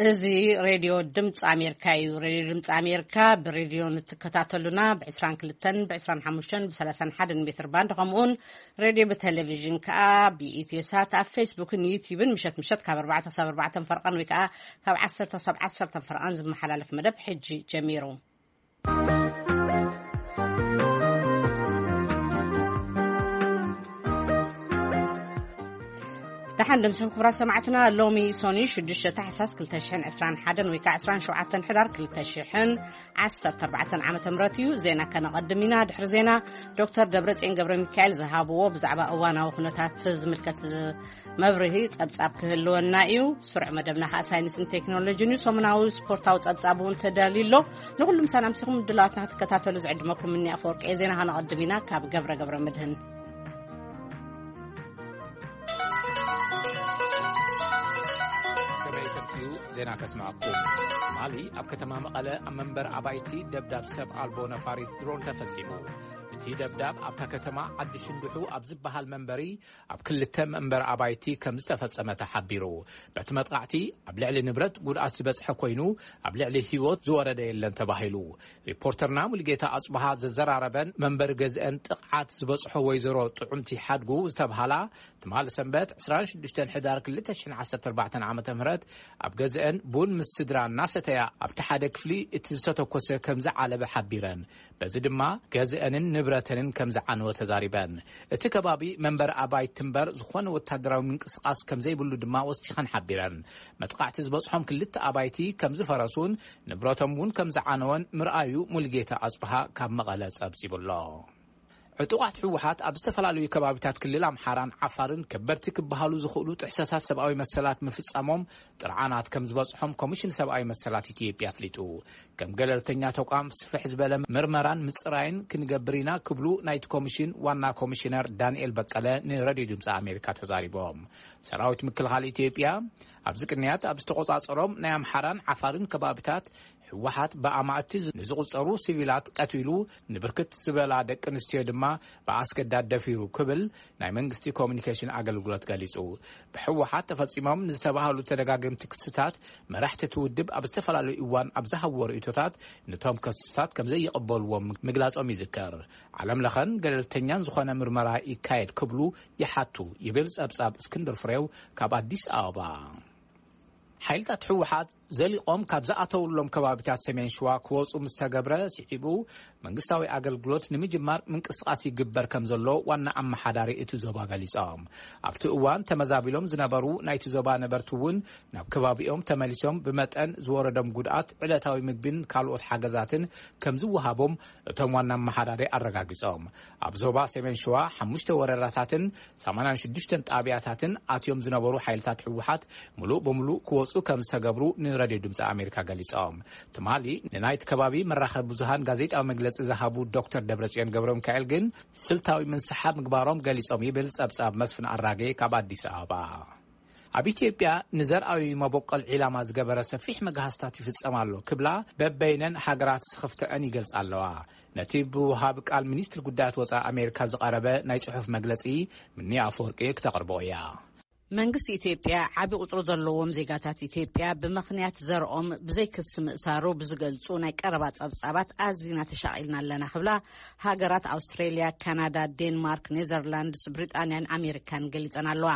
እዚ ሬድዮ ድምፂ ኣሜሪካ እዩ። ሬድዮ ድምፂ ኣሜሪካ ብሬድዮ ንትከታተሉና ብ22፣ ብ25፣ ብ31 ሜትር ባንድ፣ ከምኡውን ሬድዮ ብቴሌቪዥን ከዓ ብኢትዮ ሳት ኣብ ፌስቡክን ዩቲዩብን ምሸት ምሸት ካብ ኣርባዕተ ክሳብ ኣርባዕተ ፈርቐን ወይ ከዓ ካብ ዓሰርተ ክሳብ ዓሰርተ ፈርቐን ዝመሓላለፍ መደብ ሕጂ ጀሚሩ። ደሓን ደምስኩም ክቡራት ሰማዕትና። ሎሚ ሶኒ ሽዱሽተ ታሕሳስ ክልተ ሽሕን ዕስራን ሓደን ወይ ከዓ ዕስራን ሸውዓተን ሕዳር ክልተ ሽሕን ዓሰርተ ኣርባዕተን ዓመተ ምህረት እዩ። ዜና ከነቐድም ኢና። ድሕሪ ዜና ዶክተር ደብረጽዮን ገብረ ሚካኤል ዝሃብዎ ብዛዕባ እዋናዊ ኩነታት ዝምልከት መብርሂ ጸብጻብ ክህልወና እዩ። ስሩዕ መደብና ከዓ ሳይንስን ቴክኖሎጂን እዩ። ሰሙናዊ ስፖርታዊ ጸብጻብ እውን ተዳልዩ ኣሎ። ንኹሉም ሳናምሲኹም ድላዋትና ክትከታተሉ ዝዕድመኩም ምኒ ኣፈወርቂ። ዜና ከነቐድም ኢና ካብ ገብረ ገብረ መድህን። ከመይ ሰንብቱ? ዜና ከስምዐኩም። ትማሊ ኣብ ከተማ መቐለ ኣብ መንበር ኣባይቲ ደብዳብ ሰብ ኣልቦ ነፋሪት ድሮን ተፈጺሙ። እቲ ደብዳብ ኣብታ ከተማ ዓዲ ሽንዱሑ ኣብ ዝበሃል መንበሪ ኣብ ክልተ መንበር ኣባይቲ ከም ዝተፈጸመ ተሓቢሩ። በቲ መጥቃዕቲ ኣብ ልዕሊ ንብረት ጉድኣት ዝበጽሐ ኮይኑ፣ ኣብ ልዕሊ ህይወት ዝወረደ የለን ተባሂሉ። ሪፖርተርና ሙሉጌታ ኣጽብሃ ዘዘራረበን መንበሪ ገዝአን ጥቕዓት ዝበጽሖ ወይዘሮ ጥዑምቲ ሓድጉ ዝተብሃላ፣ ትማሊ ሰንበት ዕስራን ሽዱሽተን ሕዳር ክልተ ሽሕን ዓሰርተ ኣርባዕተን ዓመተ ምህረት ኣብ ገዝአን ቡን ምስ ስድራ እናሰተያ ኣብቲ ሓደ ክፍሊ እቲ ዝተተኮሰ ከም ዝዓለበ ሓቢረን። በዚ ድማ ገዝአንን ንብረተንን ከም ዝዓነወ ተዛሪበን። እቲ ከባቢ መንበሪ ኣባይቲ እምበር ዝኾነ ወታደራዊ ምንቅስቓስ ከም ዘይብሉ ድማ ወሲኸን ሓቢረን። መጥቃዕቲ ዝበጽሖም ክልተ ኣባይቲ ከም ዝፈረሱን ንብረቶም እውን ከም ዝዓነወን ምርኣዩ ሙሉጌታ ኣጽብሃ ካብ መቐለ ጸብጺቡ ኣሎ። ዕጡቓት ህወሓት ኣብ ዝተፈላለዩ ከባቢታት ክልል ኣምሓራን ዓፋርን ከበድቲ ክበሃሉ ዝኽእሉ ጥሕሰታት ሰብኣዊ መሰላት ምፍጻሞም ጥርዓናት ከም ዝበጽሖም ኮሚሽን ሰብኣዊ መሰላት ኢትዮጵያ ኣፍሊጡ። ከም ገለልተኛ ተቋም ስፍሕ ዝበለ ምርመራን ምጽራይን ክንገብር ኢና ክብሉ ናይቲ ኮሚሽን ዋና ኮሚሽነር ዳንኤል በቀለ ንሬድዮ ድምፂ ኣሜሪካ ተዛሪቦም። ሰራዊት ምክልኻል ኢትዮጵያ ኣብዚ ቅንያት ኣብ ዝተቆጻጸሮም ናይ ኣምሓራን ዓፋርን ከባቢታት ህወሓት ብኣማእቲ ንዝቑጸሩ ሲቪላት ቀቲሉ፣ ንብርክት ዝበላ ደቂ ኣንስትዮ ድማ ብኣስገዳድ ደፊሩ ክብል ናይ መንግስቲ ኮሚኒኬሽን ኣገልግሎት ገሊጹ። ብህወሓት ተፈጺሞም ንዝተባህሉ ተደጋገምቲ ክስታት መራሕቲ እቲ ውድብ ኣብ ዝተፈላለዩ እዋን ኣብ ዝሃብዎ ርእይቶታት ነቶም ክስታት ከም ዘይቕበልዎም ምግላጾም ይዝከር። ዓለም ለኸን ገለልተኛን ዝኾነ ምርመራ ይካየድ ክብሉ ይሓቱ ይብል ጸብጻብ እስክንድር ፍሬው ካብ ኣዲስ ኣበባ። ሓይልታት ህወሓት ዘሊቖም ካብ ዝኣተውሎም ከባቢታት ሰሜን ሸዋ ክወፁ ምስ ተገብረ ስዒቡ መንግስታዊ ኣገልግሎት ንምጅማር ምንቅስቓስ ይግበር ከም ዘሎ ዋና ኣመሓዳሪ እቲ ዞባ ገሊፆም። ኣብቲ እዋን ተመዛቢሎም ዝነበሩ ናይቲ ዞባ ነበርቲ እውን ናብ ከባቢኦም ተመሊሶም ብመጠን ዝወረዶም ጉድኣት ዕለታዊ ምግቢን ካልኦት ሓገዛትን ከም ዝወሃቦም እቶም ዋና ኣመሓዳሪ ኣረጋጊጾም። ኣብ ዞባ ሰሜን ሸዋ ሓሙሽተ ወረዳታትን ሰማንያን ሽዱሽተን ጣብያታትን ኣትዮም ዝነበሩ ሓይልታት ህወሓት ምሉእ ብምሉእ ክወፁ ከም ዝተገብሩ ንረድዮ ድምፂ ኣሜሪካ ገሊጾም። ትማሊ ንናይቲ ከባቢ መራኸቢ ብዙሃን ጋዜጣዊ መግለፂ ዝሃቡ ዶክተር ደብረጽዮን ገብረ ሚካኤል ግን ስልታዊ ምንስሓብ ምግባሮም ገሊጾም ይብል ጸብጻብ መስፍን ኣራጌ ካብ ኣዲስ ኣበባ። ኣብ ኢትዮጵያ ንዘርኣዊ መበቆል ዒላማ ዝገበረ ሰፊሕ መግሃስታት ይፍጸም ኣሎ ክብላ በበይነን ሃገራት ስኽፍተአን ይገልጻ ኣለዋ። ነቲ ብውሃብ ቃል ሚኒስትሪ ጉዳያት ወጻኢ ኣሜሪካ ዝቐረበ ናይ ጽሑፍ መግለጺ ምኒ ኣፈወርቂ ክተቕርቦ እያ። መንግስቲ ኢትዮጵያ ዓቢ ቁጽሪ ዘለዎም ዜጋታት ኢትዮጵያ ብምኽንያት ዘርኦም ብዘይክሲ ምእሳሩ ብዝገልጹ ናይ ቀረባ ጸብጻባት ኣዚና ተሻቒልና ኣለና ክብላ ሃገራት ኣውስትሬልያ፣ ካናዳ፣ ዴንማርክ፣ ኔዘርላንድስ፣ ብሪጣንያን ኣሜሪካን ገሊጸን ኣለዋ።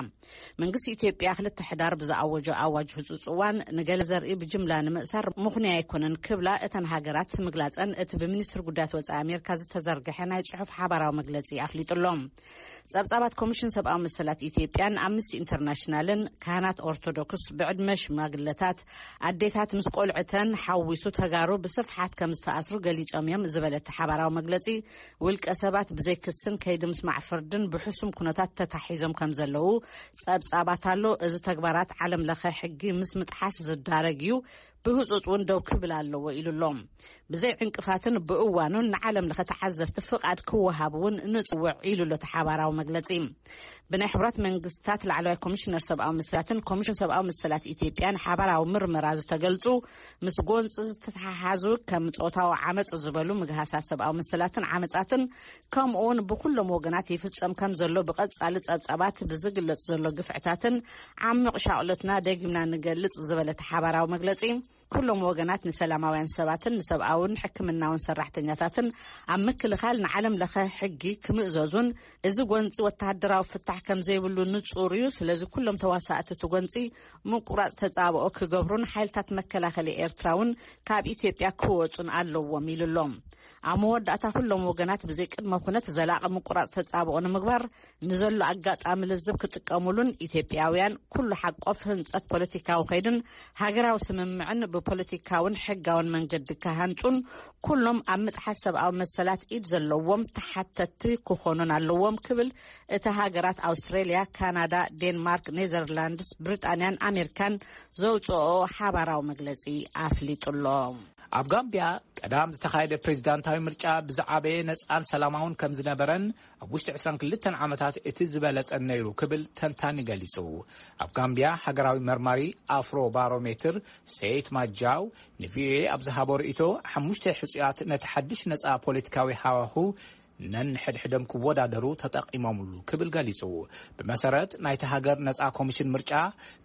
መንግስቲ ኢትዮጵያ ክልተ ሕዳር ብዝኣወጆ ኣዋጅ ህጹጽ እዋን ንገለ ዘርኢ ብጅምላ ንምእሳር ምኽንያ ኣይኮነን ክብላ እተን ሃገራት ምግላጸን እቲ ብሚኒስትሪ ጉዳያት ወጻኢ ኣሜሪካ ዝተዘርግሐ ናይ ጽሑፍ ሓባራዊ መግለጺ ኣፍሊጡ ኣሎ። ጸብጻባት ኮሚሽን ሰብኣዊ መሰላት ኢትዮጵያን ኣምነስቲ ኢንተርናሽናልን ካህናት ኦርቶዶክስ ብዕድመ ሽማግለታት ኣዴታት ምስ ቆልዕተን ሓዊሱ ተጋሩ ብስፍሓት ከም ዝተኣስሩ ገሊጾም እዮም ዝበለ እቲ ሓባራዊ መግለጺ፣ ውልቀ ሰባት ብዘይ ክስን ከይዲ ምስማዕ ፍርድን ብሕሱም ኩነታት ተታሒዞም ከም ዘለዉ ጸብጻባት ኣሎ። እዚ ተግባራት ዓለም ለኸ ሕጊ ምስ ምጥሓስ ዝዳረግ እዩ። ብህጹጽ እውን ደው ክብል ኣለዎ ኢሉ ኣሎ። ብዘይ ዕንቅፋትን ብእዋኑን ንዓለም ለኸ ተዓዘብቲ ፍቓድ ክወሃብ እውን ንጽውዕ ኢሉ ኣሎ እቲ ሓባራዊ መግለጺ። ብናይ ሕቡራት መንግስታት ላዕለዋይ ኮሚሽነር ሰብኣዊ መሰላትን ኮሚሽን ሰብኣዊ መሰላት ኢትዮጵያን ሓባራዊ ምርመራ ዝተገልጹ ምስ ጎንፂ ዝተተሓሓዙ ከም ጾታዊ ዓመፅ ዝበሉ ምግሃሳት ሰብኣዊ መሰላትን ዓመፃትን ከምኡ እውን ብኩሎም ወገናት ይፍጸም ከም ዘሎ ብቐጻሊ ጸብጻባት ብዝግለጽ ዘሎ ግፍዕታትን ዓሚቕ ሻቕሎትና ደጊምና ንገልጽ ዝበለ እቲ ሓባራዊ መግለጺ፣ ኩሎም ወገናት ንሰላማውያን ሰባትን ንሰብኣውን ሕክምናውን ሰራሕተኛታትን ኣብ ምክልኻል ንዓለም ለኸ ሕጊ ክምእዘዙን እዚ ጎንፂ ወተሃደራዊ ፍታሕ ከም ዘይብሉ ንጹር እዩ። ስለዚ ኩሎም ተዋሳእቲ እቲ ጎንፂ ምቁራጽ ተጻብኦ ክገብሩን ሓይልታት መከላኸሊ ኤርትራ እውን ካብ ኢትዮጵያ ክወጹን ኣለዎም ኢሉ ኣሎ። ኣብ መወዳእታ ኩሎም ወገናት ብዘይ ቅድመ ኩነት ዘላቒ ምቁራጽ ተጻብኦ ንምግባር ንዘሎ ኣጋጣሚ ልዝብ ክጥቀሙሉን ኢትዮጵያውያን ኩሉ ሓቆፍ ህንጸት ፖለቲካዊ ከይድን ሃገራዊ ስምምዕን ብፖለቲካውን ሕጋውን መንገዲ ክሃንጹን ኩሎም ኣብ ምጥሓስ ሰብኣዊ መሰላት ኢድ ዘለዎም ተሓተትቲ ክኾኑን ኣለዎም ክብል እቲ ሃገራት ኣውስትሬልያ፣ ካናዳ፣ ዴንማርክ፣ ኔዘርላንድስ፣ ብሪጣንያን ኣሜሪካን ዘውፅኦ ሓባራዊ መግለፂ ኣፍሊጡ ኣሎ። ኣብ ጋምቢያ ቀዳም ዝተኻየደ ፕሬዚዳንታዊ ምርጫ ብዝዓበየ ነፃን ሰላማውን ከም ዝነበረን ኣብ ውሽጢ ዕስራን ክልተን ዓመታት እቲ ዝበለጸን ነይሩ ክብል ተንታኒ ገሊጹ። ኣብ ጋምቢያ ሃገራዊ መርማሪ ኣፍሮ ባሮሜትር ሴይት ማጃው ንቪኦኤ ኣብ ዝሃቦ ርእይቶ፣ ሓሙሽተ ሕጹያት ነቲ ሓድሽ ነጻ ፖለቲካዊ ሃዋሁ ነንሕድሕዶም ክወዳደሩ ተጠቒሞምሉ ክብል ገሊጹ። ብመሰረት ናይቲ ሃገር ነጻ ኮሚሽን ምርጫ፣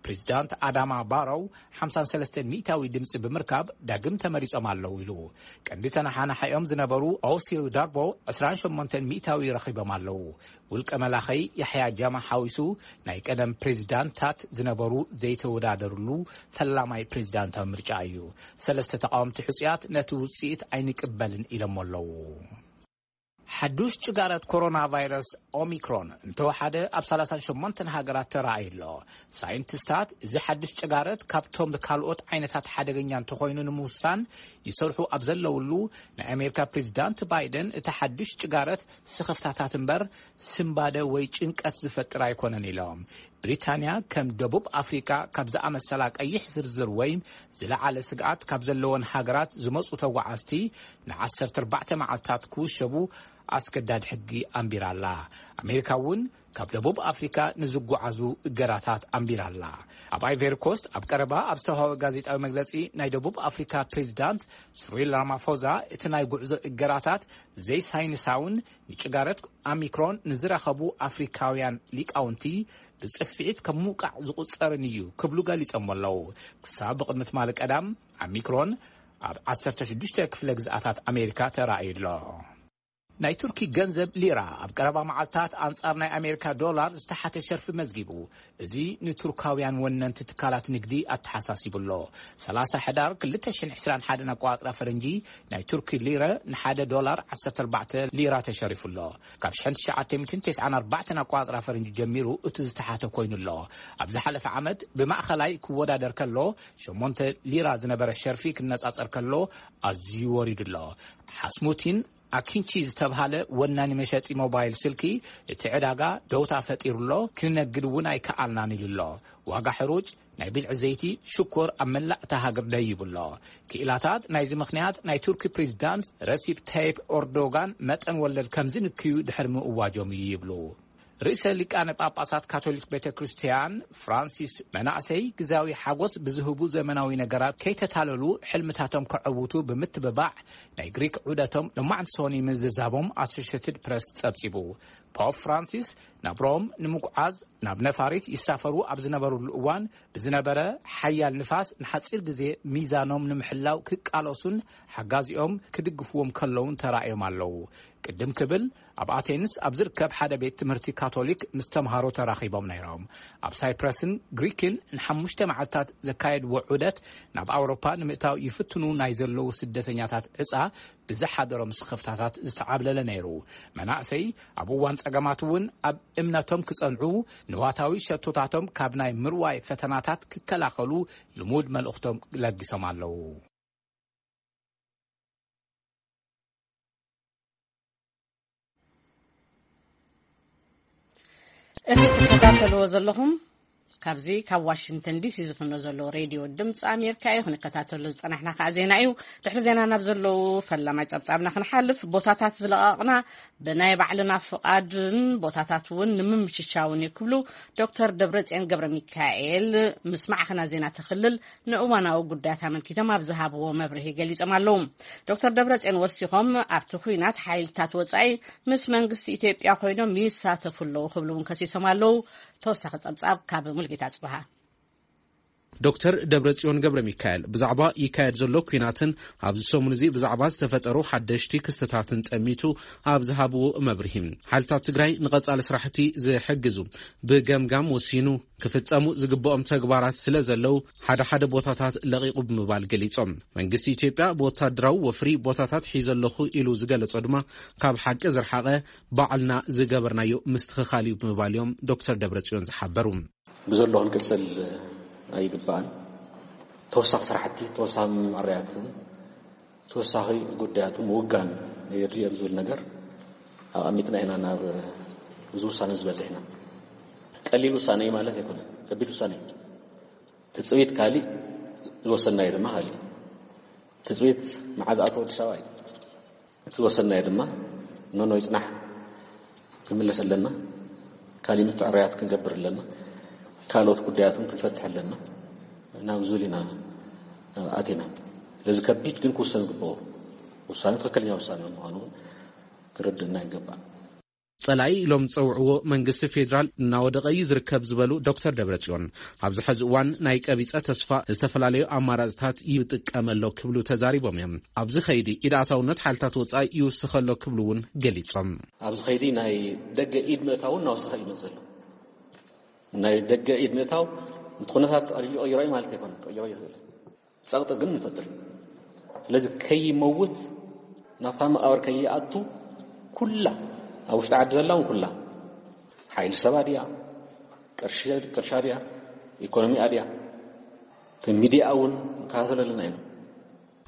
ፕሬዚዳንት ኣዳማ ባሮው ሓምሳን ሰለስተን ሚእታዊ ድምጺ ብምርካብ ዳግም ተመሪጾም ኣለዉ ኢሉ። ቀንዲ ተነሓናሓዮም ዝነበሩ ኦሲል ዳርቦ ዕስራን ሸሞንተን ሚእታዊ ረኺቦም ኣለዉ። ውልቀ መላኸይ ያሕያ ጃማ ሓዊሱ ናይ ቀደም ፕሬዚዳንታት ዝነበሩ ዘይተወዳደርሉ ፈላማይ ፕሬዚዳንታዊ ምርጫ እዩ። ሰለስተ ተቃወምቲ ሕጹያት ነቲ ውጽኢት ኣይንቅበልን ኢሎሞ ኣለዉ። ሓዱሽ ጭጋረት ኮሮና ቫይረስ ኦሚክሮን እንተወሓደ ኣብ ሰላሳን ሸሞንተን ሃገራት ተራእዩ ኣሎ። ሳይንቲስታት እዚ ሓዱሽ ጭጋረት ካብቶም ካልኦት ዓይነታት ሓደገኛ እንተኾይኑ ንምውሳን ይሰርሑ ኣብ ዘለውሉ፣ ናይ ኣሜሪካ ፕሬዚዳንት ባይደን እቲ ሓዱሽ ጭጋረት ስኽፍታታት እምበር ስንባደ ወይ ጭንቀት ዝፈጥር ኣይኮነን ኢሎም። ብሪታንያ ከም ደቡብ ኣፍሪቃ ካብ ዝኣመሰላ ቀይሕ ዝርዝር ወይም ዝለዓለ ስግኣት ካብ ዘለወን ሃገራት ዝመጹ ተጓዓዝቲ ንዓሰርተ ኣርባዕተ መዓልታት ክውሸቡ ኣስገዳድ ሕጊ ኣንቢራ ኣላ። ኣሜሪካ እውን ካብ ደቡብ ኣፍሪካ ንዝጓዓዙ እገዳታት ኣንቢራ ኣላ። ኣብ ኣይቨሪ ኮስት ኣብ ቀረባ ኣብ ዝተዋህበ ጋዜጣዊ መግለጺ ናይ ደቡብ ኣፍሪካ ፕሬዚዳንት ስሪል ራማፎዛ እቲ ናይ ጉዕዞ እገዳታት ዘይሳይንሳውን ንጭጋረት ኣሚክሮን ንዝረኸቡ ኣፍሪካውያን ሊቃውንቲ ብጽፍዒት ከም ምውቃዕ ዝቑጸርን እዩ ክብሉ ገሊጾም ኣለዉ። ክሳብ ብቕድሚ ትማሊ ቀዳም ኣሚክሮን ኣብ ዓሰርተ ሽዱሽተ ክፍለ ግዝኣታት ኣሜሪካ ተራእዩ ኣሎ። ናይ ቱርኪ ገንዘብ ሊራ ኣብ ቀረባ መዓልታት ኣንጻር ናይ ኣሜሪካ ዶላር ዝተሓተ ሸርፊ መዝጊቡ። እዚ ንቱርካውያን ወነንቲ ትካላት ንግዲ ኣተሓሳሲቡ ኣሎ። ሰላሳ ሕዳር ክልተ ሽሕን ዕስራን ሓደን ኣቋጽራ ፈረንጂ ናይ ቱርኪ ሊረ ንሓደ ዶላር ዓሰርተ ኣርባዕተ ሊራ ተሸሪፉ ኣሎ። ካብ ሽሕን ትሽዓተ ሚእትን ተስዓን ኣርባዕተን ኣቋጽራ ፈረንጂ ጀሚሩ እቲ ዝተሓተ ኮይኑ ኣሎ። ኣብ ዝሓለፈ ዓመት ብማእኸላይ ክወዳደር ከሎ ሸሞንተ ሊራ ዝነበረ ሸርፊ ክነጻጸር ከሎ ኣዝዩ ወሪዱ ኣሎ። ሓስሙቲን ኣኪንቺ ዝተብሃለ ወናኒ መሸጢ ሞባይል ስልኪ፣ እቲ ዕዳጋ ደውታ ፈጢሩ ኣሎ፣ ክንነግድ እውን ኣይከኣልናን ኢሉ ኣሎ። ዋጋ ሕሩጭ፣ ናይ ብልዒ ዘይቲ፣ ሽኮር ኣብ መላእ እታ ሃገር ደይቡ ኣሎ። ክኢላታት ናይዚ ምኽንያት ናይ ቱርኪ ፕሬዚዳንት ረሲፕ ታይፕ ኦርዶጋን መጠን ወለድ ከም ዝንክዩ ድሕሪ ምእዋጆም እዩ ይብሉ። ርእሰ ሊቃነ ጳጳሳት ካቶሊክ ቤተ ክርስቲያን ፍራንሲስ መናእሰይ ግዛዊ ሓጎስ ብዝህቡ ዘመናዊ ነገራት ከይተታለሉ ሕልምታቶም ከዐውቱ ብምትብባዕ ናይ ግሪክ ዑደቶም ሎማዕንቲ ሶኒ ምዝዛቦም ኣሶሽትድ ፕረስ ጸብጺቡ። ፖፕ ፍራንሲስ ናብ ሮም ንምጉዓዝ ናብ ነፋሪት ይሳፈሩ ኣብ ዝነበሩሉ እዋን ብዝነበረ ሓያል ንፋስ ንሓጺር ግዜ ሚዛኖም ንምሕላው ክቃለሱን ሓጋዚኦም ክድግፍዎም ከለውን ተራእዮም ኣለዉ። ቅድም ክብል ኣብ ኣቴንስ ኣብ ዝርከብ ሓደ ቤት ትምህርቲ ካቶሊክ ምስ ተምሃሮ ተራኺቦም ነይሮም። ኣብ ሳይፕረስን ግሪክን ንሓሙሽተ መዓልታት ዘካየድዎ ዑደት ናብ ኣውሮፓ ንምእታው ይፍትኑ ናይ ዘለዉ ስደተኛታት ዕጻ ብዝሓደሮም ስኽፍታታት ዝተዓብለለ ነይሩ። መናእሰይ ኣብ እዋን ጸገማት እውን ኣብ እምነቶም ክጸንዑ፣ ንዋታዊ ሸቶታቶም ካብ ናይ ምርዋይ ፈተናታት ክከላኸሉ ልሙድ መልእኽቶም ለጊሶም ኣለዉ። እቲ ትከታተልዎ ዘለኹም ካብዚ ካብ ዋሽንግተን ዲሲ ዝፍኖ ዘሎ ሬድዮ ድምፂ ኣሜሪካ እዩ። ክንከታተሎ ዝፀናሕና ከዓ ዜና እዩ። ድሕሪ ዜና ናብ ዘለዉ ፈላማይ ፀብፃብና ክንሓልፍ፣ ቦታታት ዝለቐቕና ብናይ ባዕልና ፍቓድን ቦታታት እውን ንምምችቻውን እዩ ክብሉ ዶክተር ደብረፅዮን ገብረ ሚካኤል ምስ ማዕኸና ዜና ተኽልል ንእዋናዊ ጉዳያት ኣመልኪቶም ኣብ ዝሃብዎ መብርሂ ገሊጾም ኣለዉ። ዶክተር ደብረጽዮን ወሲኾም ኣብቲ ኲናት ሓይልታት ወጻኢ ምስ መንግስቲ ኢትዮጵያ ኮይኖም ይሳተፉ ኣለዉ ክብሉ እውን ከሲሶም ኣለዉ። ተወሳኺ ጸብጻብ ካብ ሙልጌታ ጽብሃ። ዶክተር ደብረጽዮን ገብረ ሚካኤል ብዛዕባ ይካየድ ዘሎ ኲናትን ኣብዚ ሰሙን እዚ ብዛዕባ ዝተፈጠሩ ሓደሽቲ ክስተታትን ጠሚቱ ኣብ ዝሃብዎ መብርሂ፣ ሓይልታት ትግራይ ንቐጻሊ ስራሕቲ ዝሕግዙ ብገምጋም ወሲኑ ክፍጸሙ ዝግብኦም ተግባራት ስለ ዘለዉ ሓደ ሓደ ቦታታት ለቒቑ ብምባል ገሊጾም። መንግስቲ ኢትዮጵያ ብወታደራዊ ወፍሪ ቦታታት ሒዘ ኣለኹ ኢሉ ዝገለጾ ድማ ካብ ሓቂ ዝረሓቐ ባዕልና ዝገበርናዮ ምስትኽኻል እዩ ብምባል እዮም ዶክተር ደብረጽዮን ዝሓበሩ። ብዘሎ ክንቅጽል ኣይግባእን። ተወሳኺ ስራሕቲ፣ ተወሳኺ መመርያትን ተወሳኺ ጉዳያቱ ምውጋን የድልዮ ዝብል ነገር ኣቐሚጥና ኢና ናብ እዚ ውሳነ ዝበፅሕና። ቀሊል ውሳነ እዩ ማለት ኣይኮነን፣ ከቢድ ውሳነ እዩ። ትፅቢት ካሊእ፣ ዝወሰናዮ ድማ ካሊእ። ትፅቢት መዓዝ ኣቶ ኣዲስ ኣበባ እዩ። እቲ ዝወሰናዮ ድማ ኖኖ ይፅናሕ ክንምለስ ኣለና። ካሊእ ምትዕርያት ክንገብር ኣለና። ካልኦት ጉዳያትን ክንፈትሕ ኣለና። ናብ ዝብል ኢና ኣቲና። ስለዚ ከቢድ ግን ክውሰን ዝግብኦ ውሳነ፣ ትኽክለኛ ውሳነ ምዃኑ እውን ክርድእና ይገባእ። ጸላኢ ኢሎም ዝጸውዕዎ መንግስቲ ፌዴራል እናወደቐ እዩ ዝርከብ ዝበሉ ዶክተር ደብረጽዮን፣ ኣብዚ ሕዚ እዋን ናይ ቀቢጸ ተስፋ ዝተፈላለዩ ኣማራጽታት ይጥቀም ኣሎ ክብሉ ተዛሪቦም እዮም። ኣብዚ ኸይዲ ኢድ ኣእታውነት ሓይልታት ወጻኢ ይውስኸ ኣሎ ክብሉ እውን ገሊጾም። ኣብዚ ኸይዲ ናይ ደገ ኢድ ምእታው እናወሰኸ እዩ ዝመጽእ ዘሎ። ናይ ደገ ኢድ ምእታው እቲ ኩነታት ኣልዩ ቀይሮ እዩ ማለት ኣይኮነን፣ ቀይሮ ይኽእል። ጸቕጢ ግን ንፈጥር። ስለዚ ከይመውት፣ ናብታ መቓብር ከይኣቱ፣ ኩላ ኣብ ውሽጢ ዓዲ ዘላ እውን ኩላ፣ ሓይሊ ሰባ ድያ፣ ቅርሺ፣ ቅርሻ ድያ፣ ኢኮኖሚኣ ድያ፣ እቲ ሚዲያ እውን ንከታተሎ ኣለና ኢና።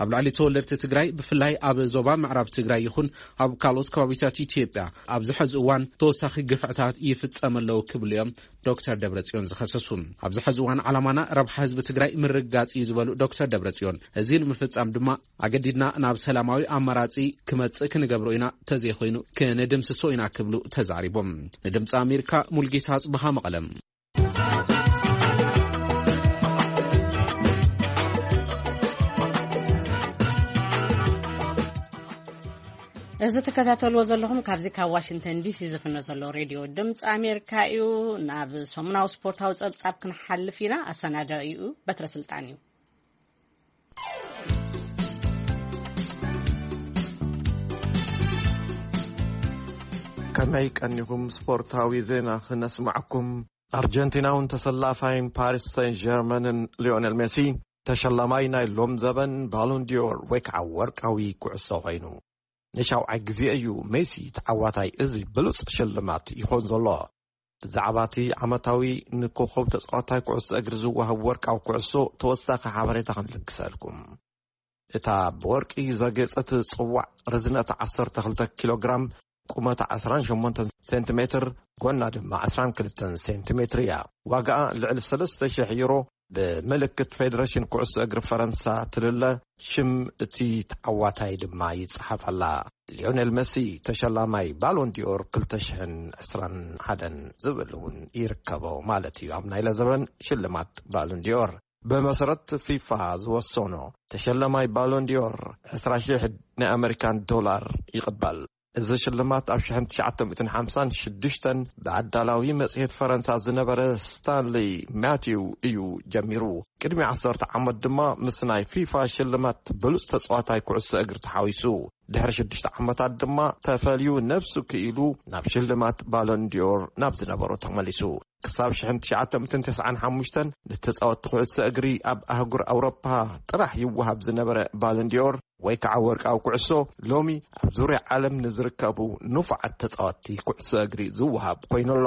ኣብ ልዕሊ ተወለድቲ ትግራይ፣ ብፍላይ ኣብ ዞባ ምዕራብ ትግራይ ይኹን ኣብ ካልኦት ከባቢታት ኢትዮጵያ ኣብዚ ሕዚ እዋን ተወሳኺ ግፍዕታት ይፍጸም ኣለዉ ክብሉ እዮም ዶክተር ደብረጽዮን ዝኸሰሱ። ኣብዚ ሕዚ እዋን ዓላማና ረብሓ ህዝቢ ትግራይ ምርግጋጽ እዩ ዝበሉ ዶክተር ደብረጽዮን፣ እዚ ንምፍጻም ድማ ኣገዲድና ናብ ሰላማዊ ኣማራጺ ክመጽእ ክንገብሮ ኢና፣ ተዘይኮይኑ ክንድምስሶ ኢና ክብሉ ተዛሪቦም። ንድምፂ ኣሜሪካ ሙልጌታ ኣጽብሃ መቐለም። እዚ ትከታተልዎ ዘለኹም ካብዚ ካብ ዋሽንግተን ዲሲ ዝፍኖ ዘሎ ሬድዮ ድምፂ ኣሜሪካ እዩ። ናብ ሰሙናዊ ስፖርታዊ ጸብጻብ ክንሓልፍ ኢና። ኣሰናዳኢኡ በትረ ስልጣን እዩ። ከመይ ቀኒኹም? ስፖርታዊ ዜና ክነስማዕኩም። ኣርጀንቲናውን ተሰላፋይን ፓሪስ ሰን ጀርመንን ሊዮኔል ሜሲ ተሸላማይ ናይ ሎም ዘበን ባሎን ዲዮር ወይ ከዓ ወርቃዊ ኩዕሶ ኮይኑ። ንሻውዓይ ግዜ እዩ ሜሲ ተዓዋታይ እዚ ብሉጽ ሽልማት ይኾን ዘሎ። ብዛዕባ እቲ ዓመታዊ ንኮኸብ ተጻዋታይ ኩዕሶ እግሪ ዝወሃብ ወርቃዊ ኩዕሶ ተወሳኺ ሓበሬታ ክንልግሰልኩም። እታ ብወርቂ ዘጌጸት ጽዋዕ ርዝነታ ዓሰርተ ክልተ ኪሎ ግራም፣ ቁመታ ዕስራን ሸሞንተን ሴንቲሜትር፣ ጎና ድማ ዕስራን ክልተን ሴንቲሜትር እያ። ዋጋኣ ልዕሊ ሰለስተ ሽሕ ዩሮ፣ ብምልክት ፌደሬሽን ኩዕሶ እግሪ ፈረንሳ ትልለ፣ ሽም እቲ ተዓዋታይ ድማ ይጸሓፈላ። ሊዮኔል መሲ ተሸላማይ ባሎን ዲኦር ክልተ ሽሕን ዕስራን ሓደን ዝብል እውን ይርከቦ ማለት እዩ። ኣብ ናይ ለዘበን ሽልማት ባሎን ዲኦር ብመሰረት ፊፋ ዝወሰኖ ተሸላማይ ባሎን ዲኦር ዕስራ ሽሕ ናይ ኣመሪካን ዶላር ይቕበል። እዚ ሽልማት ኣብ ሽሕን ትሽዓተ ሚእትን ሓምሳን ሽዱሽተን ብኣዳላዊ መጽሔት ፈረንሳ ዝነበረ ስታንሊ ማቲው እዩ ጀሚሩ። ቅድሚ ዓሰርተ ዓመት ድማ ምስ ናይ ፊፋ ሽልማት ብሉጽ ተጻዋታይ ኩዕሶ እግሪ ተሓዊሱ። ድሕሪ ሽዱሽተ ዓመታት ድማ ተፈልዩ ነብሱ ክኢሉ ናብ ሽልማት ባሎን ዲዮር ናብ ዝነበሮ ተመሊሱ። ክሳብ ሽሕን ትሽዓተ ሚእትን ተስዓን ሓሙሽተን ንተጻወትቲ ኩዕሶ እግሪ ኣብ ኣህጉር ኣውሮፓ ጥራሕ ይወሃብ ዝነበረ ባሎን ዲዮር ወይ ከዓ ወርቃዊ ኩዕሶ፣ ሎሚ ኣብ ዙርያ ዓለም ንዝርከቡ ንፉዓት ተጻወትቲ ኩዕሶ እግሪ ዝወሃብ ኮይኑ ኣሎ።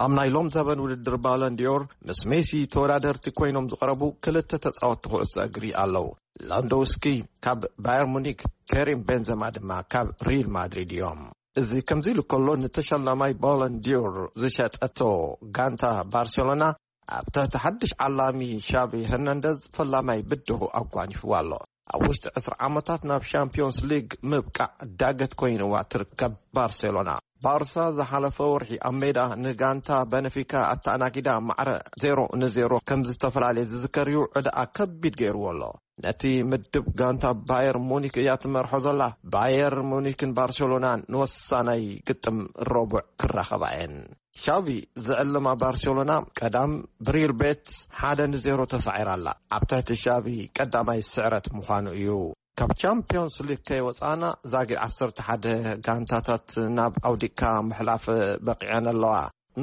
ኣብ ናይ ሎም ዘበን ውድድር ባሎን ዲዮር ምስ ሜሲ ተወዳደርቲ ኮይኖም ዝቐረቡ ክልተ ተጻወትቲ ኩዕሶ እግሪ ኣለዉ። ላንዶውስኪ ካብ ባየር ሙኒክ፣ ከሪም ቤንዘማ ድማ ካብ ሪል ማድሪድ እዮም። እዚ ከምዚ ኢሉ ከሎ፣ ንተሸላማይ ባሎን ዲዮር ዝሸጠቶ ጋንታ ባርሴሎና ኣብ ትሕቲ ሓድሽ ዓላሚ ሻቪ ሄርናንደዝ ፈላማይ ብድሁ ኣጓኒፍዋ ኣሎ። ኣብ ውሽጢ ዕስራ ዓመታት ናብ ሻምፒዮንስ ሊግ ምብቃዕ ዳገት ኮይንዋ ትርከብ ባርሴሎና። ባርሳ ዝሓለፈ ወርሒ ኣብ ሜዳ ንጋንታ በነፊካ ኣተኣናጊዳ ማዕረ ዜሮ ንዜሮ ከም ዝተፈላለየ ዝዝከር እዩ። ዕዳኣ ከቢድ ገይርዎ ኣሎ። ነቲ ምድብ ጋንታ ባየር ሙኒክ እያ ትመርሖ ዘላ። ባየር ሙኒክን ባርሴሎናን ንወሳናይ ግጥም ረቡዕ ክራኸባ እየን። ሻቪ ዝዕለማ ባርሴሎና ቀዳም ብሪል ቤት ሓደ ንዜሮ ተሳዒራ ኣላ። ኣብ ትሕቲ ሻቪ ቀዳማይ ስዕረት ምዃኑ እዩ። ካብ ቻምፒዮንስ ሊግ ከይወፃና ዛጊድ ዓሰርተ ሓደ ጋንታታት ናብ ኣውዲቅካ ምሕላፍ በቂዐን ኣለዋ።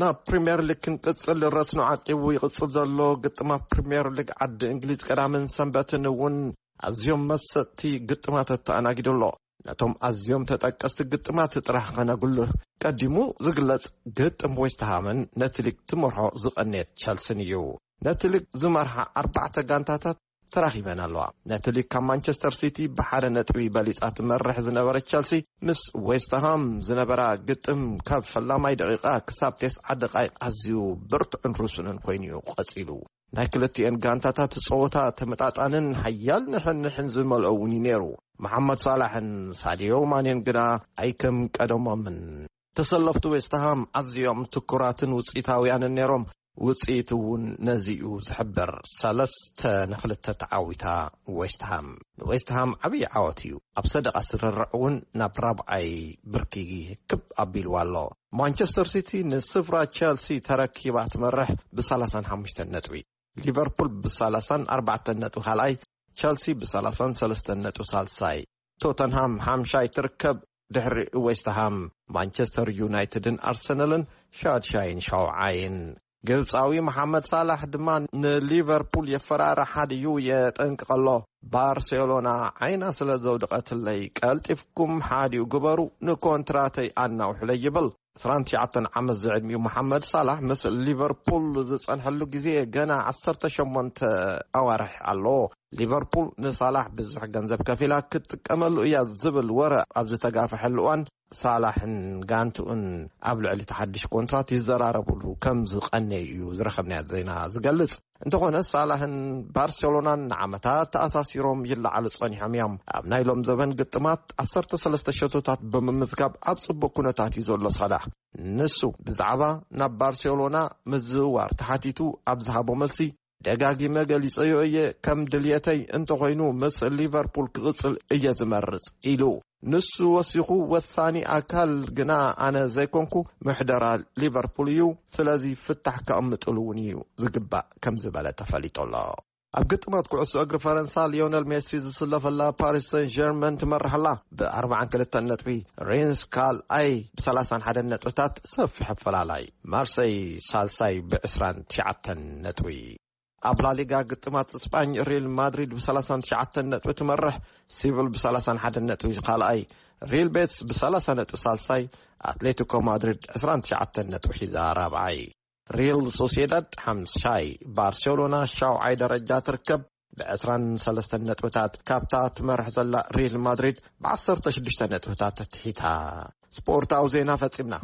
ናብ ፕሪምየር ሊግ ክንቅፅል ረስኖ ዓቂቡ ይቕፅል ዘሎ ግጥማት ፕሪምየር ሊግ ዓዲ እንግሊዝ ቀዳምን ሰንበትን እውን ኣዝዮም መሰጥቲ ግጥማት ተኣናጊዱ ኣሎ። ነቶም ኣዝዮም ተጠቀስቲ ግጥማት ጥራሕ ከነጉልህ ቀዲሙ ዝግለጽ ግጥም ዌስትሃምን ነቲ ሊግ ትመርሖ ዝቐነየት ቸልስን እዩ። ነቲ ሊግ ዝመርሓ ኣርባዕተ ጋንታታት ተራኺበን ኣለዋ። ነቲ ሊግ ካብ ማንቸስተር ሲቲ ብሓደ ነጥቢ በሊጻ ትመርሕ ዝነበረት ቸልሲ ምስ ዌስትሃም ዝነበራ ግጥም ካብ ፈላማይ ደቂቓ ክሳብ ተስዓ ደቓይቕ ኣዝዩ ብርቱዕን ርሱንን ኮይኑ እዩ ቀጺሉ። ናይ ክልቲኤን ጋንታታት ጸወታ ተመጣጣንን ሓያል ንሕንሕን ዝመልኦ እውን እዩ ነይሩ። መሓመድ ሳላሕን ሳድዮ ማኔን ግና ኣይከም ቀደሞምን። ተሰለፍቲ ዌስትሃም ኣዝዮም ትኩራትን ውጽኢታውያንን ነይሮም። ውጽኢት እውን ነዚ እዩ ዝሕብር። ሰለስተ ንክልተ ተዓዊታ ዌስትሃም። ንዌስትሃም ዓብዪ ዓወት እዩ። ኣብ ሰደቓ ስርርዕ እውን ናብ ራብዓይ ብርኪ ክብ ኣቢልዋ ኣሎ። ማንቸስተር ሲቲ ንስፍራ ቸልሲ ተረኪባ ትመርሕ ብ ሰላሳን ሓሙሽተን ነጥቢ። ሊቨርፑል ብ ሰላሳን ኣርባዕተን ነጥቢ ካልኣይ፣ ቸልሲ ብ ሰላሳን ሰለስተን ነጥቢ ሳልሳይ፣ ቶተንሃም ሓምሻይ ትርከብ። ድሕሪ ዌስትሃም፣ ማንቸስተር ዩናይትድን ኣርሰናልን ሻድሻይን ሻውዓይን። ግብፃዊ መሓመድ ሳላሕ ድማ ንሊቨርፑል የፈራርሓ ድዩ የጠንቅቐሎ። ባርሴሎና ዓይና ስለ ዘውደቐትለይ ቀልጢፍኩም ሓዲኡ ግበሩ፣ ንኮንትራተይ ኣናውሕለይ ይብል። ዕስራን ትሽዓተን ዓመት ዝዕድሚኡ መሓመድ ሳላሕ ምስ ሊቨርፑል ዝጸንሐሉ ግዜ ገና ዓሰርተ ሸሞንተ ኣዋርሕ ኣሎ። ሊቨርፑል ንሳላሕ ብዙሕ ገንዘብ ከፊላ ክትጥቀመሉ እያ ዝብል ወረ ኣብ ዝተጋፍሐሉ እዋን፣ ሳላሕን ጋንትኡን ኣብ ልዕሊ እቲ ሓድሽ ኮንትራት ይዘራረብሉ ከም ዝቐነዩ እዩ ዝረኸብናዮ ዜና ዝገልጽ። እንተኾነ ሳላሕን ባርሴሎናን ንዓመታት ተኣሳሲሮም ይለዓሉ ጸኒሖም እዮም። ኣብ ናይ ሎም ዘበን ግጥማት ዓሰርተ ሰለስተ ሸቶታት ብምምዝጋብ ኣብ ጽቡቕ ኩነታት እዩ ዘሎ ሳላሕ። ንሱ ብዛዕባ ናብ ባርሴሎና ምዝውዋር ተሓቲቱ ኣብ ዝሃቦ መልሲ፣ ደጋጊመ ገሊጸዮ እየ፣ ከም ድልየተይ እንተኾይኑ ምስ ሊቨርፑል ክቕጽል እየ ዝመርጽ ኢሉ። ንሱ ወሲኹ፣ ወሳኒ ኣካል ግና ኣነ ዘይኮንኩ፣ ምሕደራ ሊቨርፑል እዩ። ስለዚ ፍታሕ ከቕምጥሉ እውን እዩ ዝግባእ ከም ዝበለ ተፈሊጡ ኣሎ። ኣብ ግጥማት ኩዕሶ እግሪ ፈረንሳ ሊዮነል ሜሲ ዝስለፈላ ፓሪስ ሰን ጀርመን ትመርሕ ኣላ ብኣርባዓን ክልተን ነጥቢ። ሬንስ ካልኣይ ብሰላሳን ሓደን ነጥብታት ሰፊሕ ኣፈላላይ። ማርሰይ ሳልሳይ ብዕስራን ትሽዓተን ነጥቢ። ኣብ ላሊጋ ግጥማት ስጳኝ ሪል ማድሪድ ብሰላሳን ትሽዓተን ነጥቢ ትመርሕ። ሲቪል ብሰላሳን ሓደን ነጥቢ ካልኣይ። ሪል ቤትስ ብሰላሳ ነጥቢ ሳልሳይ። ኣትሌቲኮ ማድሪድ ዕስራን ትሽዓተን ነጥቢ ሒዛ ራብዓይ። ሪል ሶሲዳድ ሓምሻይ። ባርሴሎና ሻውዓይ ደረጃ ትርከብ ብዕስራን ሰለስተን ነጥብታት። ካብታ ትመርሕ ዘላ ሪል ማድሪድ ብዓሰርተ ሽዱሽተ ነጥብታት ተትሒታ። ስፖርታዊ ዜና ፈጺምና።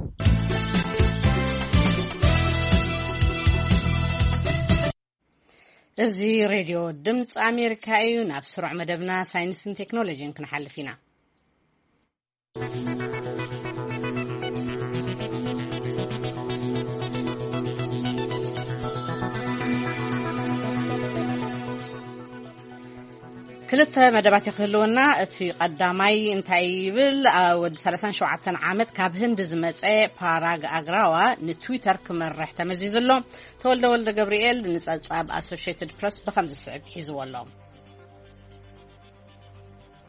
እዚ ሬድዮ ድምፂ ኣሜሪካ እዩ። ናብ ስሩዕ መደብና ሳይንስን ቴክኖሎጂን ክንሓልፍ ኢና። ክልተ መደባት ክህልወና። እቲ ቀዳማይ እንታይ ይብል? ኣ፣ ወዲ ሰላሳን ሸውዓተን ዓመት ካብ ህንዲ ዝመጸ ፓራግ ኣግራዋ ንትዊተር ክመርሕ ተመዚዙ ኣሎ። ተወልደ ወልደ ገብርኤል ንጸብጻብ ኣሶሽየትድ ፕረስ ብኸምዚ ስዕብ ሒዝዎ ኣሎ።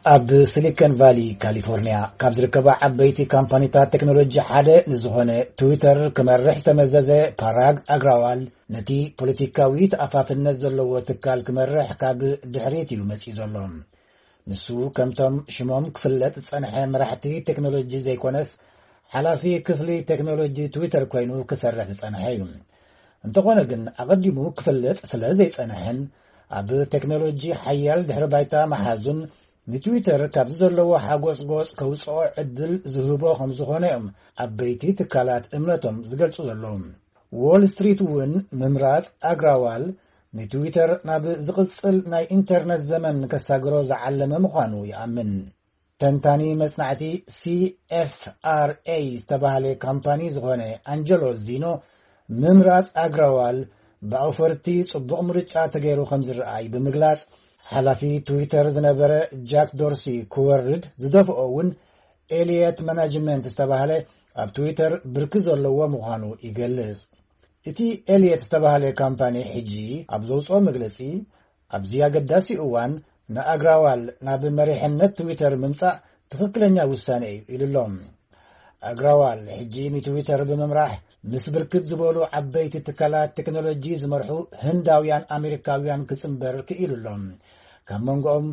ኣብ ሲሊኮን ቫሊ ካሊፎርኒያ ካብ ዝርከባ ዓበይቲ ካምፓኒታት ቴክኖሎጂ ሓደ ንዝኾነ ትዊተር ክመርሕ ዝተመዘዘ ፓራግ ኣግራዋል፣ ነቲ ፖለቲካዊ ተኣፋፍነት ዘለዎ ትካል ክመርሕ ካብ ድሕሪት እዩ መጺኡ ዘሎ። ንሱ ከምቶም ሽሞም ክፍለጥ ዝጸንሐ መራሕቲ ቴክኖሎጂ ዘይኮነስ፣ ሓላፊ ክፍሊ ቴክኖሎጂ ትዊተር ኮይኑ ክሰርሕ ዝጸንሐ እዩ። እንተኾነ ግን፣ ኣቐዲሙ ክፍለጥ ስለ ዘይጸንሐን ኣብ ቴክኖሎጂ ሓያል ድሕሪ ባይታ መሓዙን፣ ንትዊተር ካብዚ ዘለዎ ሓጎጽጎጽ ከውጽኦ ዕድል ዝህቦ ከም ዝኾነ እዮም ዓበይቲ ትካላት እምነቶም ዝገልጹ ዘለዉ። ዎል ስትሪት እውን ምምራጽ ኣግራዋል ንትዊተር ናብ ዝቕጽል ናይ ኢንተርነት ዘመን ከሳግሮ ዝዓለመ ምዃኑ ይኣምን። ተንታኒ መጽናዕቲ C F R A ዝተባህለ ካምፓኒ ዝኾነ ኣንጀሎ ዚኖ፣ ምምራጽ ኣግራዋል ብኣውፈርቲ ጽቡቕ ምርጫ ተገይሩ ከም ዝረኣይ ብምግላጽ፣ ሓላፊ ትዊተር ዝነበረ ጃክ ዶርሲ ክወርድ ዝደፍኦ እውን ኤልየት ማናጅመንት ዝተባህለ ኣብ ትዊተር ብርኪ ዘለዎ ምዃኑ ይገልጽ። እቲ ኤልየት ዝተባህለ ካምፓኒ ሕጂ ኣብ ዘውፅኦ መግለፂ፣ ኣብዚ ኣገዳሲ እዋን ንኣግራዋል ናብ መሪሕነት ትዊተር ምምፃእ ትኽክለኛ ውሳነ እዩ ኢሉ ኣሎ። ኣግራዋል ሕጂ ንትዊተር ብምምራሕ ምስ ብርክት ዝበሉ ዓበይቲ ትካላት ቴክኖሎጂ ዝመርሑ ህንዳውያን ኣሜሪካውያን ክፅምበር ክኢሉ ኣሎ። ካብ መንጎኦም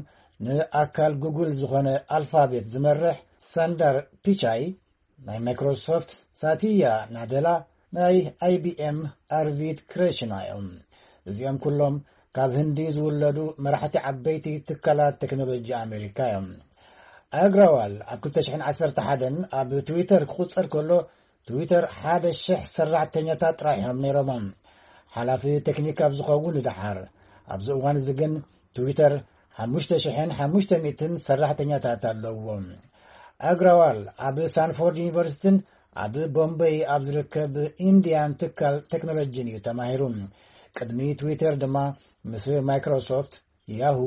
ንኣካል ጉግል ዝኾነ ኣልፋቤት ዝመርሕ ሳንዳር ፒቻይ፣ ናይ ማይክሮሶፍት ሳቲያ ናደላ፣ ናይ I B M ኣርቪድ ክሬሽና እዮም። እዚኦም ኩሎም ካብ ህንዲ ዝውለዱ መራሕቲ ዓበይቲ ትካላት ቴክኖሎጂ ኣሜሪካ እዮም። ኣግራዋል ኣብ ክልተ ሽሕን ዓሰርተ ሓደን ኣብ ትዊተር ክቑጸር ከሎ፣ ትዊተር ሓደ ሽሕ ሰራሕተኛታት ጥራሕ እዮም ነይሮም። ሓላፊ ቴክኒክ ኣብ ዝኸውን ድሓር፣ ኣብዚ እዋን እዚ ግን ትዊተር ሓሙሽተ ሽሕን ሓሙሽተ ሚእትን ሰራሕተኛታት ኣለውዎ። ኣግራዋል ኣብ ሳንፎርድ ዩኒቨርሲቲን ኣብ ቦምበይ ኣብ ዝርከብ ኢንዲያን ትካል ቴክኖሎጂን እዩ ተማሂሩ። ቅድሚ ትዊተር ድማ ምስ ማይክሮሶፍት፣ ያሁ፣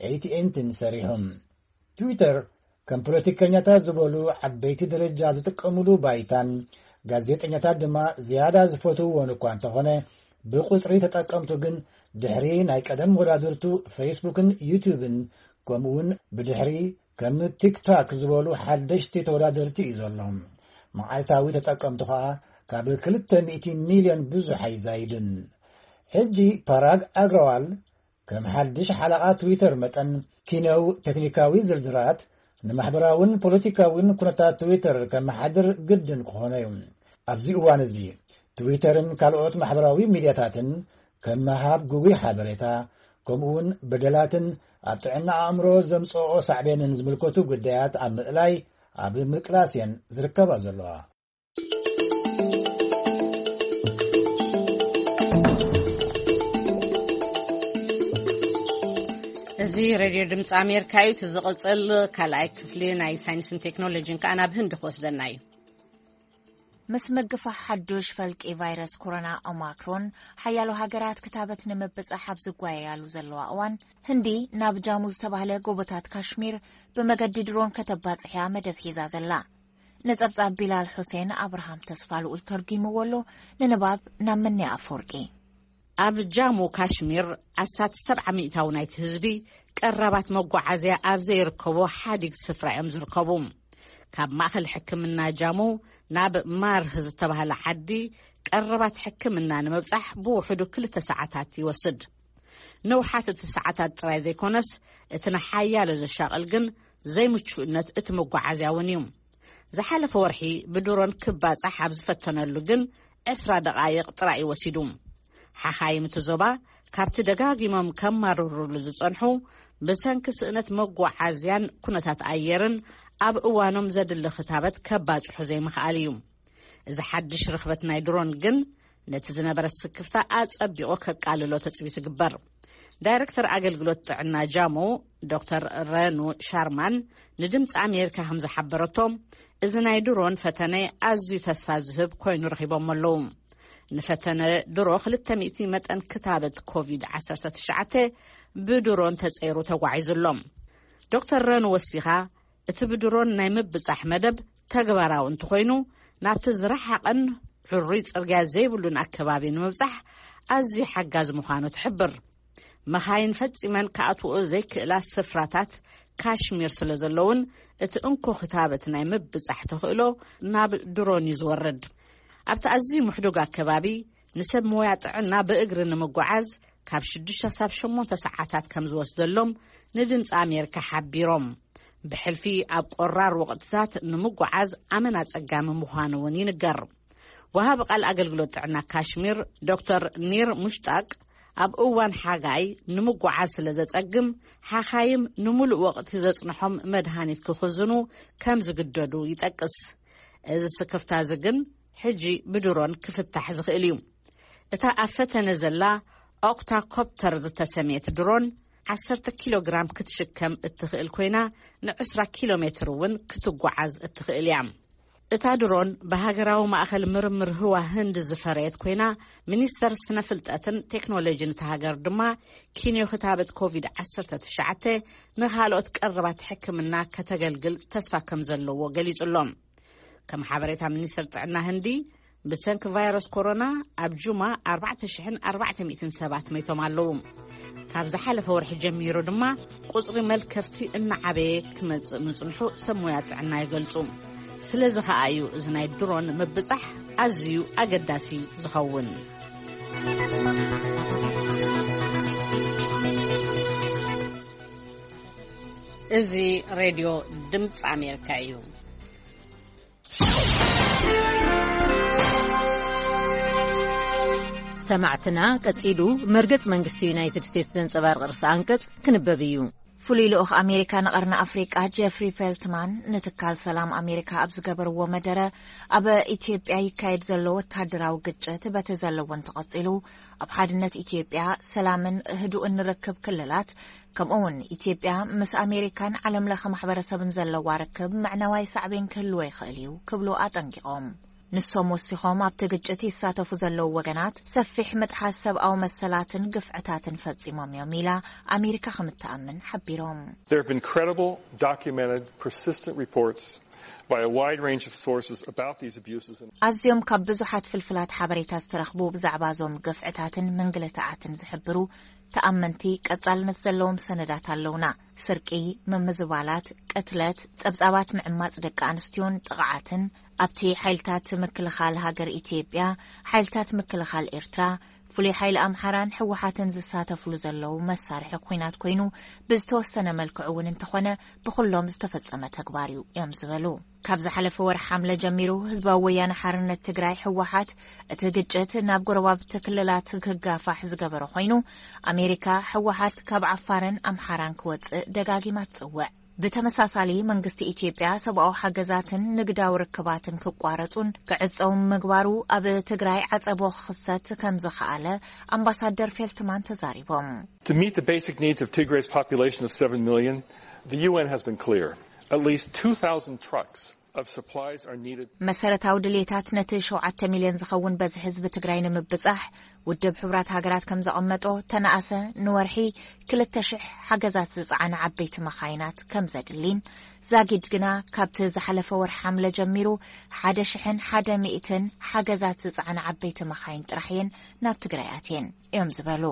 ኤይ ቲ ኤን ቲን ሰሪሑ። ትዊተር ከም ፖለቲከኛታት ዝበሉ ዓበይቲ ደረጃ ዝጥቀምሉ ባይታን ጋዜጠኛታት ድማ ዝያዳ ዝፈትውዎን እኳ እንተኾነ፣ ብቁጽሪ ተጠቀምቱ ግን ድሕሪ ናይ ቀደም ወዳድርቱ ፌስቡክን ዩቱብን፣ ከምኡውን ብድሕሪ ከም ቲክቶክ ዝበሉ ሓደሽቲ ተወዳደርቲ እዩ ዘሎ። መዓልታዊ ተጠቀምቱ ኸኣ ካብ ክልተ ሚእቲ ሚልዮን ብዙሕ ኣይዛይድን። ሕጂ ፓራግ ኣግረዋል ከም ሓድሽ ሓለቓ ትዊተር መጠን፣ ኪነው ቴክኒካዊ ዝርዝራት ንማሕበራውን ፖለቲካውን ኩነታት ትዊተር ከመሓድር ግድን ክኾኖ እዩ። ኣብዚ እዋን እዚ፣ ትዊተርን ካልኦት ማሕበራዊ ሚድያታትን ከም ምሃብ ግጉይ ሓበሬታ፣ ከምኡውን በደላትን ኣብ ጥዕና ኣእምሮ ዘምጽኦ ሳዕቤንን ዝምልከቱ ጉዳያት ኣብ ምእላይ፣ ኣብ ምቅላስ እየን ዝርከባ ዘለዋ። እዚ ሬድዮ ድምፂ ኣሜሪካ እዩ። እቲ ዝቕፅል ካልኣይ ክፍሊ ናይ ሳይንስን ቴክኖሎጂን ከዓ ናብ ህንዲ ክወስደና እዩ። ምስ ምግፋሕ ሓዱሽ ፈልቂ ቫይረስ ኮሮና ኦማክሮን፣ ሓያሎ ሃገራት ክታበት ንምብጻሕ ኣብ ዝጓየያሉ ዘለዋ እዋን፣ ህንዲ ናብ ጃሙ ዝተባህለ ጎቦታት ካሽሚር ብመገዲ ድሮን ከተባጽሕ እያ መደብ ሒዛ ዘላ። ንጸብጻብ ቢላል ሑሴን፣ ኣብርሃም ተስፋ ልኡል ተርጒምዎ ኣሎ። ንንባብ ናብ ምንያ ኣፈወርቂ። ኣብ ጃሙ ካሽሚር ኣስታት ሰብዓ ሚእታዊ ናይቲ ህዝቢ ቀረባት መጓዓዝያ ኣብ ዘይርከቦ ሓዲግ ስፍራ እዮም ዝርከቡ። ካብ ማእከል ሕክምና ጃሙ ናብ ማርህ ዝተባህለ ዓዲ ቀረባት ሕክምና ንምብጻሕ ብውሕዱ ክልተ ሰዓታት ይወስድ። ንውሓት እቲ ሰዓታት ጥራይ ዘይኮነስ፣ እቲ ንሓያሎ ዘሻቕል ግን ዘይምቹእነት እቲ መጓዓዝያ እውን እዩ። ዝሓለፈ ወርሒ ብድሮን ክባጻሕ ኣብ ዝፈተነሉ ግን ዕስራ ደቓይቕ ጥራይ እዩ ወሲዱ። ሓኻይም እቲ ዞባ ካብቲ ደጋጊሞም ከማርሩሉ ዝጸንሑ ብሰንኪ ስእነት መጓዓዝያን ኩነታት ኣየርን ኣብ እዋኖም ዘድሊ ክታበት ከባጽሑ ዘይምኽኣል እዩ። እዚ ሓድሽ ርኽበት ናይ ድሮን ግን ነቲ ዝነበረ ስክፍታ ኣጸቢቑ ከቃልሎ ተጽቢት ይግበር። ዳይረክተር ኣገልግሎት ጥዕና ጃሙ ዶክተር ረኑ ሻርማን ንድምፂ ኣሜሪካ ከም ዝሓበረቶ፣ እዚ ናይ ድሮን ፈተነ ኣዝዩ ተስፋ ዝህብ ኮይኑ ረኺቦም ኣለዉ። ንፈተነ ድሮ ክልተ ሚእቲ መጠን ክታበት ኮቪድ ዓሰርተ ትሽዓተ ብድሮን ተጸይሩ ተጓዒዙ ኣሎ። ዶክተር ረኑ ወሲኻ፣ እቲ ብድሮን ናይ ምብጻሕ መደብ ተግባራዊ እንተኾይኑ፣ ናብቲ ዝረሓቐን ሕሩይ ጽርግያ ዘይብሉን ኣከባቢ ንምብጻሕ ኣዝዩ ሓጋዚ ምዃኑ ትሕብር። መኻይን ፈጺመን ክኣትውኦ ዘይክእላ ስፍራታት ካሽሚር ስለ ዘለውን፣ እቲ እንኮ ክታበት ናይ ምብጻሕ ተኽእሎ ናብ ድሮን እዩ ዝወርድ። ኣብቲ ኣዝዩ ምሕዱግ ኣከባቢ፣ ንሰብ ሞያ ጥዕና ብእግሪ ንምጓዓዝ ካብ ሽዱሽተ ክሳብ ሸሞንተ ሰዓታት ከም ዝወስደሎም ንድምፂ ኣሜሪካ ሓቢሮም። ብሕልፊ ኣብ ቆራር ወቕትታት ንምጉዓዝ ኣመና ጸጋሚ ምዃኑ እውን ይንገር። ወሃቢ ቃል ኣገልግሎት ጥዕና ካሽሚር ዶክተር ኒር ሙሽጣቅ፣ ኣብ እዋን ሓጋይ ንምጉዓዝ ስለ ዘጸግም፣ ሓኻይም ንምሉእ ወቕቲ ዘጽንሖም መድሃኒት ክኽዝኑ ከም ዝግደዱ ይጠቅስ። እዚ ስክፍታ እዚ ግን ሕጂ ብድሮን ክፍታሕ ዝኽእል እዩ። እታ ኣብ ፈተነ ዘላ ኦክታኮፕተር ዝተሰምየት ድሮን ዓሰርተ ኪሎ ግራም ክትሽከም እትኽእል ኮይና፣ ን20 ኪሎ ሜትር እውን ክትጓዓዝ እትኽእል እያ። እታ ድሮን ብሃገራዊ ማእኸል ምርምር ህዋ ህንድ ዝፈረየት ኮይና፣ ሚኒስተር ስነ ፍልጠትን ቴክኖሎጂን እታ ሃገር ድማ ኪንዮ ክታበት ኮቪድ ዓሰርተ ትሽዓተ ንኻልኦት ቀረባት ሕክምና ከተገልግል ተስፋ ከም ዘለዎ ገሊጹ ኣሎ። ከም ሓበሬታ ሚኒስተር ጥዕና ህንዲ፣ ብሰንኪ ቫይረስ ኮሮና ኣብ ጁማ ኣርባዕተ ሽሕን ኣርባዕተ ሚእትን ሰባት መይቶም ኣለዉ። ካብ ዝሓለፈ ወርሒ ጀሚሩ ድማ ቁጽሪ መልከፍቲ እናዓበየ ክመጽእ ምጽንሑ ሰብ ሞያ ጥዕና ይገልጹ። ስለዚ ኸኣ እዩ እዚ ናይ ድሮን ምብጻሕ ኣዝዩ ኣገዳሲ ዝኸውን። እዚ ሬድዮ ድምፂ ኣሜሪካ እዩ። ሰማዕትና፣ ቀጺሉ መርገጽ መንግስቲ ዩናይትድ ስቴትስ ዘንጸባርቕ ርእሰ ኣንቀጽ ክንበብ እዩ። ፍሉይ ልኡኽ ኣሜሪካ ንቐርኒ ኣፍሪቃ ጀፍሪ ፌልትማን ንትካል ሰላም ኣሜሪካ ኣብ ዝገበርዎ መደረ፣ ኣብ ኢትዮጵያ ይካየድ ዘሎ ወታደራዊ ግጭት በቲ ዘለዎ እንተቐጺሉ፣ ኣብ ሓድነት ኢትዮጵያ ሰላምን ህዱእን ርክብ ክልላት፣ ከምኡ እውን ኢትዮጵያ ምስ ኣሜሪካን ዓለም ለኸ ማሕበረሰብን ዘለዋ ርክብ ምዕናዋይ ሳዕቤን ክህልዎ ይኽእል እዩ ክብሉ ኣጠንቂቖም። ንሶም ወሲኾም፣ ኣብቲ ግጭት ይሳተፉ ዘለዉ ወገናት ሰፊሕ ምጥሓስ ሰብኣዊ መሰላትን ግፍዕታትን ፈጺሞም እዮም ኢላ ኣሜሪካ ከም እትኣምን ሓቢሮም። There have been credible, documented, persistent reports by a wide range of sources about these abuses. And ኣዝዮም ካብ ብዙሓት ፍልፍላት ሓበሬታ ዝተረኽቡ ብዛዕባ እዞም ግፍዕታትን ምንግልታዓትን ዝሕብሩ ተኣመንቲ ቀጻልነት ዘለዎም ሰነዳት ኣለውና። ስርቂ፣ ምምዝባላት፣ ቅትለት፣ ጸብጻባት ምዕማጽ ደቂ ኣንስትዮን ጥቕዓትን ኣብቲ ሓይልታት ምክልኻል ሃገር ኢትዮጵያ፣ ሓይልታት ምክልኻል ኤርትራ፣ ፍሉይ ሓይሊ ኣምሓራን ህወሓትን ዝሳተፍሉ ዘለዉ መሳርሒ ኲናት ኮይኑ፣ ብዝተወሰነ መልክዑ እውን እንተኾነ ብኹሎም ዝተፈጸመ ተግባር እዩ እዮም ዝበሉ። ካብ ዝሓለፈ ወርሒ ሓምለ ጀሚሩ ህዝባዊ ወያነ ሓርነት ትግራይ ህወሓት እቲ ግጭት ናብ ጎረባብቲ ክልላት ክጋፋሕ ዝገበረ ኮይኑ፣ ኣሜሪካ ህወሓት ካብ ዓፋርን ኣምሓራን ክወጽእ ደጋጊማ ትጽውዕ። ብተመሳሳሊ መንግስቲ ኢትዮጵያ ሰብኣዊ ሓገዛትን ንግዳዊ ርክባትን ክቋረጹን ክዕጸውን ምግባሩ ኣብ ትግራይ ዓጸቦ ክኽሰት ከም ዝኸኣለ ኣምባሳደር ፌልትማን ተዛሪቦም። To meet the basic needs of Tigray's population of seven million, the U N has been clear. At least two thousand trucks of supplies are needed. መሰረታዊ ድልየታት ነቲ ሸውዓተ ሚልዮን ዝኸውን በዝሒ ህዝቢ ትግራይ ንምብጻሕ፣ ውድብ ሕቡራት ሃገራት ከም ዘቐመጦ፣ ተነኣሰ ንወርሒ ክልተ ሽሕ ሓገዛት ዝጸዓና ዓበይቲ መኻይናት ከም ዘድሊን፣ ዛጊድ ግና ካብቲ ዝሓለፈ ወርሒ ሓምለ ጀሚሩ ሓደ ሽሕን ሓደ ሚእትን ሓገዛት ዝጸዓና ዓበይቲ መኻይን ጥራሕ እየን ናብ ትግራይ ኣትየን እዮም ዝበሉ።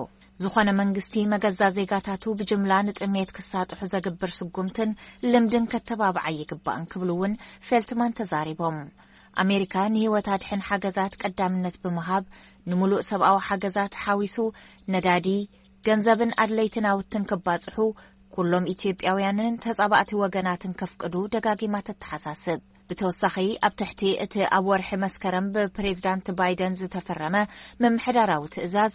ዝኾነ መንግስቲ መገዛ ዜጋታቱ ብጅምላ ንጥሜት ክሳጥሑ ዘግብር ስጉምትን ልምድን ከተባብዓ ይግባእን ክብሉ እውን ፌልትማን ተዛሪቦም። ኣሜሪካ ንህይወት ኣድሕን ሓገዛት ቀዳምነት ብምሃብ፣ ንምሉእ ሰብኣዊ ሓገዛት ሓዊሱ ነዳዲ፣ ገንዘብን ኣድለይቲ ናውትን ክባጽሑ፣ ኩሎም ኢትዮጵያውያንን ተጻባእቲ ወገናትን ከፍቅዱ ደጋጊማ ተተሓሳስብ። ብተወሳኺ፣ ኣብ ትሕቲ እቲ ኣብ ወርሒ መስከረም ብፕሬዝዳንት ባይደን ዝተፈረመ ምምሕዳራዊ ትእዛዝ፣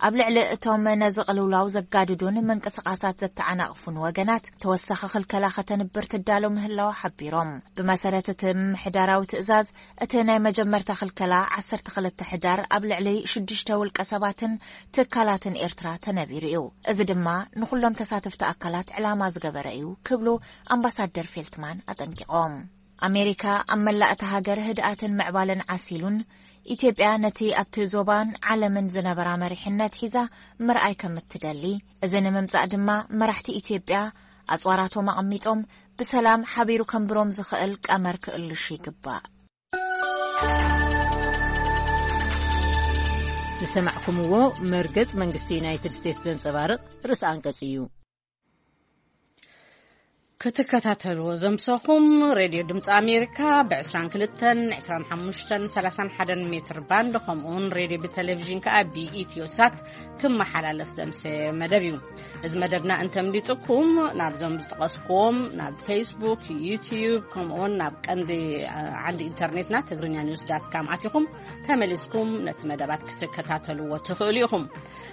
ኣብ ልዕሊ እቶም ነዚ ቅልውላው ዘጋድዱን ምንቅስቓሳት ዘተዓናቕፉን ወገናት ተወሳኺ ክልከላ ከተንብር ትዳሎ ምህላዋ ሓቢሮም። ብመሰረት እቲ ምምሕዳራዊ ትእዛዝ፣ እቲ ናይ መጀመርታ ክልከላ ዓሰርተ ክልተ ሕዳር ኣብ ልዕሊ ሽዱሽተ ውልቀ ሰባትን ትካላትን ኤርትራ ተነቢሩ እዩ። እዚ ድማ ንኹሎም ተሳተፍቲ ኣካላት ዕላማ ዝገበረ እዩ ክብሉ ኣምባሳደር ፌልትማን ኣጠንቂቖም። ኣሜሪካ ኣብ መላእ እታ ሃገር ህድኣትን ምዕባለን ዓሲሉን፣ ኢትዮጵያ ነቲ ኣብቲ ዞባን ዓለምን ዝነበራ መሪሕነት ሒዛ ምርኣይ ከም እትደሊ፣ እዚ ንምምጻእ ድማ መራሕቲ ኢትዮጵያ ኣጽዋራቶም ኣቐሚጦም ብሰላም ሓቢሩ ከንብሮም ዝኽእል ቀመር ክእልሹ ይግባእ። ዝሰማዕኩምዎ መርገጽ መንግስቲ ዩናይትድ ስቴትስ ዘንጸባርቕ ርእሰ ኣንቀጽ እዩ። ክትከታተልዎ ዘምሰኹም ሬድዮ ድምፂ ኣሜሪካ ብ22፣ 25፣ 31 ሜትር ባንድ፣ ከምኡውን ሬድዮ ብቴሌቪዥን ከኣ ብኢትዮ ሳት ክመሓላለፍ ዘምሰ መደብ እዩ። እዚ መደብና እንተምሊጥኩም፣ ናብዞም ዝጠቐስኩዎም፣ ናብ ፌስቡክ፣ ዩትዩብ፣ ከምኡውን ናብ ቀንዲ፣ እ፣ ዓንዲ ኢንተርኔትና፣ ትግርኛ ኒውስ ዳት ካም ኣቲኹም ተመሊስኩም ነቲ መደባት ክትከታተልዎ ትኽእሉ ኢኹም።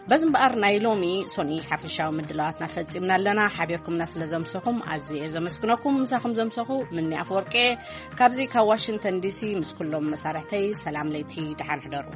በዚ እምበኣር፣ ናይ ሎሚ ሶኒ ሓፈሻዊ ምድላዋትና ፈጺምና ኣለና። ሓቢርኩምና ስለ ዘምሰኹም ኣዝየ እየ ዘመስግነኩም። ምሳኹም ዘምሰኹ ምኒ ኣፈወርቂ እየ። ካብዚ ካብ ዋሽንግተን ዲሲ ምስ ኩሎም መሳርሕተይ ሰላም ለይቲ፣ ደሓን ሕደሩ።